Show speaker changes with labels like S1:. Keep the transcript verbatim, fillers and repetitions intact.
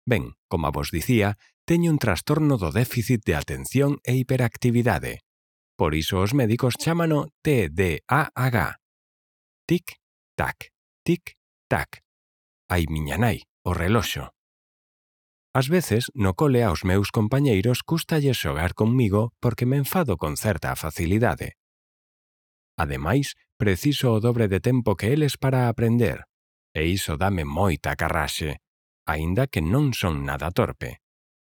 S1: Ben, como vos dicía, teño un trastorno do déficit de atención e hiperactividade. Por iso os médicos chámano T D A H. Tic-tac, tic-tac. Ai miña nai, o reloxo. Ás veces, no cole aos meus compañeiros cústalles xogar conmigo porque me enfado con certa facilidade. Ademais, preciso o dobre de tempo que eles para aprender, e iso dame moita carraxe, aínda que non son nada torpe.